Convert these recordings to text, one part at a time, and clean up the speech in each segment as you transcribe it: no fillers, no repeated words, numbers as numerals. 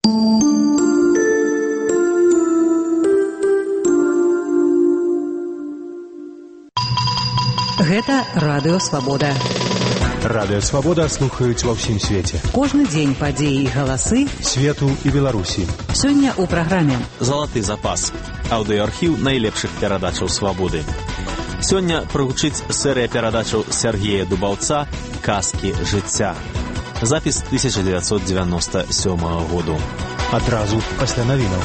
Гэта Радыё Свабода. Радыё Свабода слухаюць ва ўсім свеце. Кожны дзень падзеі і галасы свету і Беларусі. Сёння ў праграме «Залаты запас» – аўдыоархіў найлепшых перадачаў Свабоды. Сёння прагучыць серыя перадачаў Сергея Дубаўца «Казкі жыцця». Запіс 1997 году. Адразу пасля навінаў.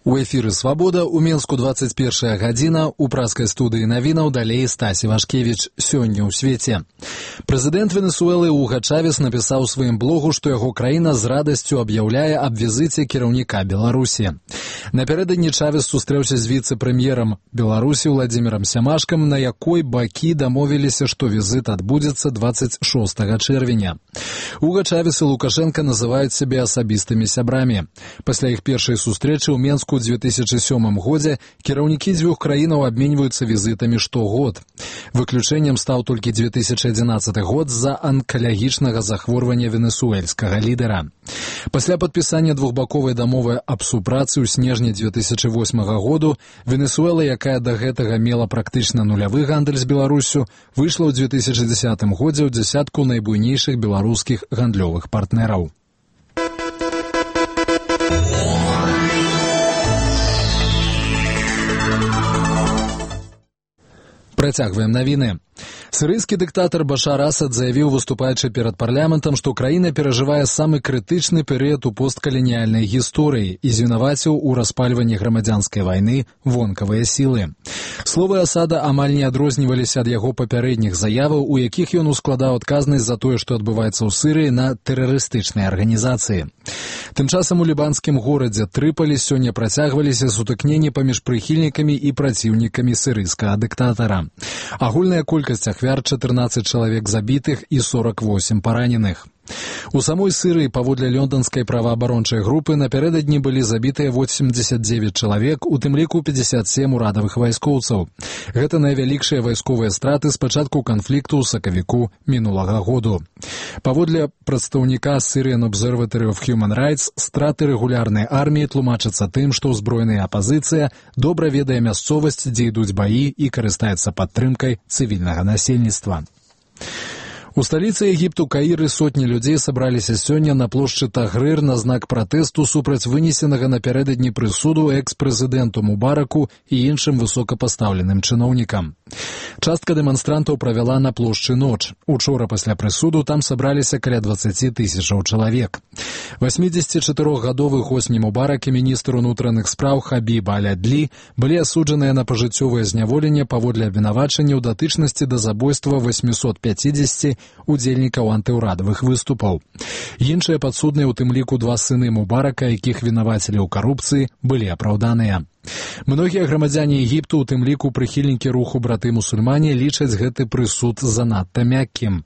У эфіры «Свабода» у Менску 21 гадзіна, у праскай студыі навінаў далей Стасі Вашкевіч. Сёння ў свеце. Прэзідэнт Венесуэлы Уга Чавес напісаў у сваім блогу, што яго краіна з радасцю аб'яўляе аб візіце кіраўніка Беларусі. Напярэдадні Чавес сустрэўся з віцэ-прэм'ерам Беларусі Владзімірам Сямашкам, на якой бакі дамовіліся, што візіт адбудзецца 26 чэрвеня. Уга Чавес і Лукашенка называюць сябе асабістымі сябрамі. Пасля іх першай сустрэчы ў Менску ў 2007 годзе кіраўнікі дзвюх краінаў абменьваюцца візітамі штогод. Выключэннем стаў толькі 2011 год з-за анкалагічнага захворвання венесуэльскага лідара. Пасля падпісання двухбаковай дамовы аб супрацы ў снежні 2008 году Венесуэла, якая да гэтага мела практычна нулявы гандаль з Беларусю, выйшла ў 2010 годзе ў дзясятку найбуйнейшых беларускіх гандлёвых партнераў. Працягваем навіны. Сірыйскі дыктатар Башар Асад заявіў, выступаючы перад парламентам, што краіна перажывае самы крытычны перыяд у посткаланіяльнай гісторыі і звінаваціў у распальванні грамадзянскай вайны вонкавыя сілы. Словы Асада амаль не адрозніваліся ад яго папярэдніх заяваў, у якіх ён ускладаў адказнасць за тое, што адбываецца ў Сірыі, на тэрарыстычныя арганізацыі. Тым часам у лібанскім горадзе Трыполі сёння працягваліся сутыкненні паміж прыхільнікамі і праціўнікамі сірыйскага дыктатара. Агульная колькасць ахвяр 14 чалавек забітых і 48 параненых. У самой Сірыі, паводле лёнданскай праваабарончай групы, напярэдадні былі забітыя 89 чалавек, у тым ліку 57 урадавых вайскоўцаў. Гэта найвялікшыя вайсковыя страты з пачатку канфлікту ў сакавіку мінулага году. Паводле прадстаўніка Syrian Observatory of Human Rights, страты рэгулярнай арміі тлумачацца тым, што ўзброеная апазіцыя добра ведае мясцовасць, дзе ідуць баі, і карыстаецца падтрымкай цывільнага насельніцтва. У сталіцы Егіпту Каіры сотні людзей сабраліся сёння на плошчы Тагрыр на знак пратэсту супраць вынесенага напярэдадні прысуду экс-прэзідэнту Мубараку і іншым высокапастаўленым чыноўнікам. Частка дэманстрантаў правяла на плошчы ноч. Учора пасля прысуду там сабраліся каля 20 тысячаў чалавек. 84-гадовы Хосні Мубарак і міністр унутраных спраў Хабіб Аль-Адлі былі асуджаныя на пажыццёвае зняволенне паводле абвінавачання ў датычнасці да забойства 850 удзельнікаў антыўрадавых выступаў. Іншыя падсудныя, у тым ліку 2 сыны Мубарака, якіх вінавацілі ў карупцыі, былі апраўданыя. Многія грамадзяне Егіпту, у тым ліку прыхільнікі руху браты-мусульмане, лічаць гэты прысуд занадта мяккім.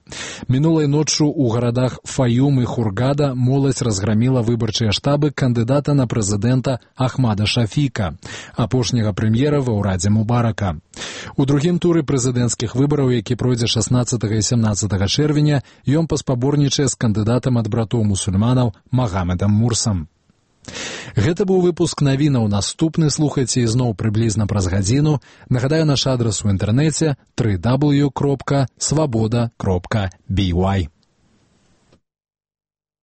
Мінулай ноччу ў гарадах Фаюм і Хургада моладзь разграміла выбарчыя штабы кандыдата на прэзідэнта Ахмада Шафіка, апошняга прэм'ера ва ўрадзе Мубарака. У другім туры прэзідэнцкіх выбараў, які пройдзе 16 і 17 чэрвеня, ён паспаборнічае з кандыдатам ад братоў-мусульманаў Магамедам Мурсам. Гэта быў выпуск навінаў. Наступны слухайце ізноў прыблізна праз гадзіну. Нагадаю, наш адрас у інтэрнэце www.swaboda.by.